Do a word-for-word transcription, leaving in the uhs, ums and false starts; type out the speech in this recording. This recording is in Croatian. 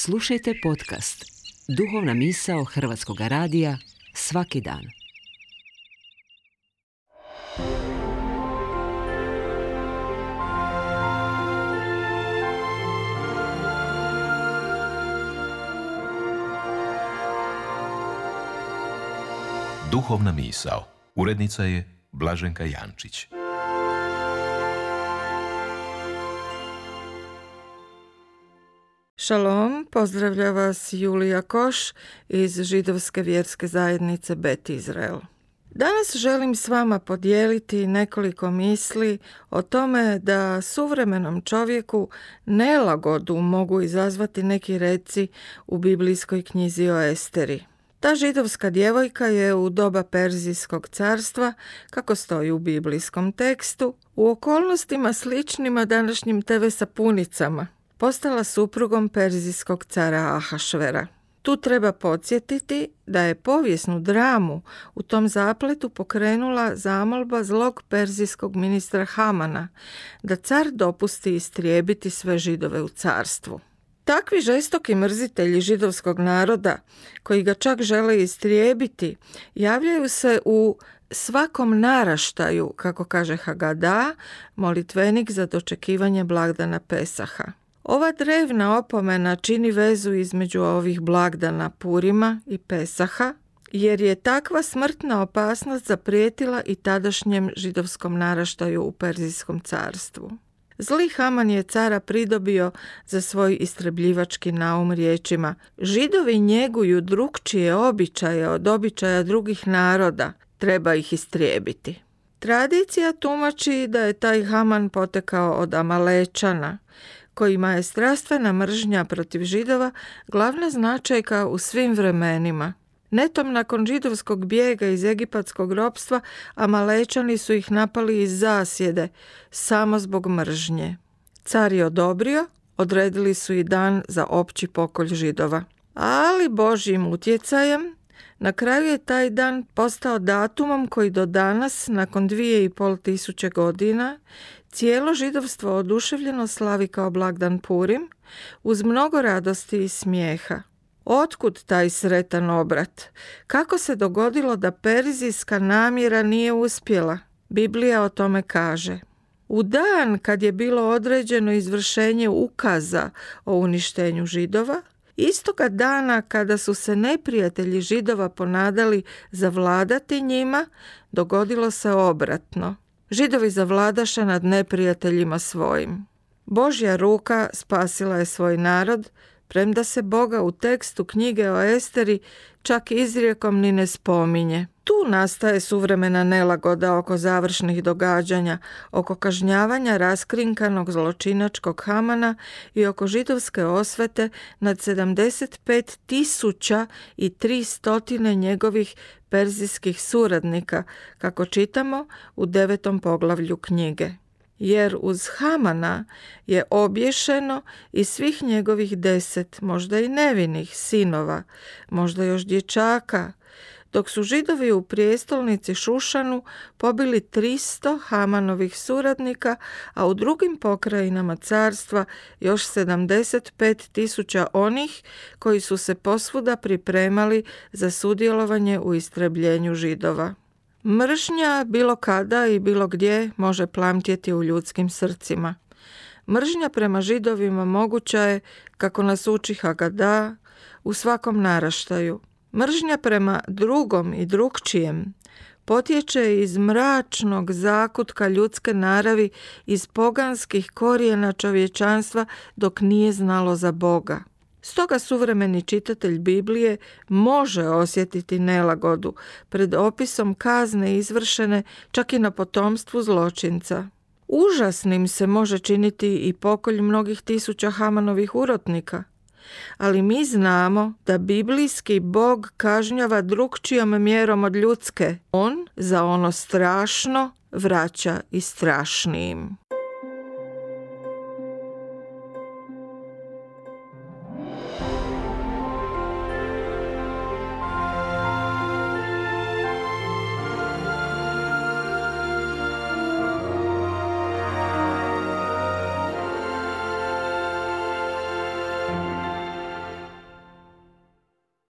Slušajte podcast Duhovna misao Hrvatskog radija svaki dan. Duhovna misao. Urednica je Blaženka Jančić. Šalom, pozdravlja vas Julija Koš iz židovske vjerske zajednice Bet Izrael. Danas želim s vama podijeliti nekoliko misli o tome da suvremenom čovjeku nelagodu mogu izazvati neki reci u biblijskoj knjizi o Esteri. Ta židovska djevojka je u doba Perzijskog carstva, kako stoji u biblijskom tekstu, u okolnostima sličnima današnjim te ve sapunicama, postala suprugom Perzijskog cara Ahašvera. Tu treba podsjetiti da je povijesnu dramu u tom zapletu pokrenula zamolba zlog perzijskog ministra Hamana da car dopusti istrijebiti sve Židove u carstvu. Takvi žestoki mrzitelji židovskog naroda, koji ga čak žele istrijebiti, javljaju se u svakom naraštaju, kako kaže Hagada, molitvenik za dočekivanje blagdana Pesaha. Ova drevna opomena čini vezu između ovih blagdana Purima i Pesaha, jer je takva smrtna opasnost zaprijetila i tadašnjem židovskom naraštaju u Perzijskom carstvu. Zli Haman je cara pridobio za svoj istrebljivački naum riječima: Židovi njeguju drukčije običaje od običaja drugih naroda, treba ih istrijebiti. Tradicija tumači da je taj Haman potekao od Amalečana, kojima je strastvena mržnja protiv Židova glavna značajka u svim vremenima. Netom nakon židovskog bijega iz egipatskog ropstva, Amalečani su ih napali iz zasjede, samo zbog mržnje. Car je odobrio, odredili su i dan za opći pokolj Židova. Ali Božjim utjecajem, na kraju je taj dan postao datumom koji do danas, nakon dvije i pol tisuće godina, cijelo židovstvo oduševljeno slavi kao blagdan Purim, uz mnogo radosti i smijeha. Otkud taj sretan obrat? Kako se dogodilo da perzijska namjera nije uspjela? Biblija o tome kaže: U dan kad je bilo određeno izvršenje ukaza o uništenju Židova, istoga dana kada su se neprijatelji Židova ponadali zavladati njima, dogodilo se obratno. Židovi zavladaše nad neprijateljima svojim. Božja ruka spasila je svoj narod, premda se Boga u tekstu knjige o Esteri čak izrijekom ni ne spominje. Tu nastaje suvremena nelagoda oko završnih događanja, oko kažnjavanja raskrinkanog zločinačkog Hamana i oko židovske osvete nad sedamdeset pet tisuća i tristo njegovih perzijskih suradnika, kako čitamo u devetom poglavlju knjige. Jer uz Hamana je obješeno i svih njegovih deset, možda i nevinih sinova, možda još dječaka, dok su Židovi u prijestolnici Šušanu pobili tristo Hamanovih suradnika, a u drugim pokrajinama carstva još sedamdeset pet tisuća onih koji su se posvuda pripremali za sudjelovanje u istrebljenju Židova. Mržnja bilo kada i bilo gdje može plamtjeti u ljudskim srcima. Mržnja prema Židovima moguća je, kako nas uči Hagada, u svakom naraštaju. Mržnja prema drugom i drukčijem potječe iz mračnog zakutka ljudske naravi, iz poganskih korijena čovječanstva dok nije znalo za Boga. Stoga suvremeni čitatelj Biblije može osjetiti nelagodu pred opisom kazne izvršene čak i na potomstvu zločinca. Užasnim se može činiti i pokolj mnogih tisuća Hamanovih urotnika, ali mi znamo da biblijski Bog kažnjava drukčijom mjerom od ljudske. On za ono strašno vraća i strašnijim.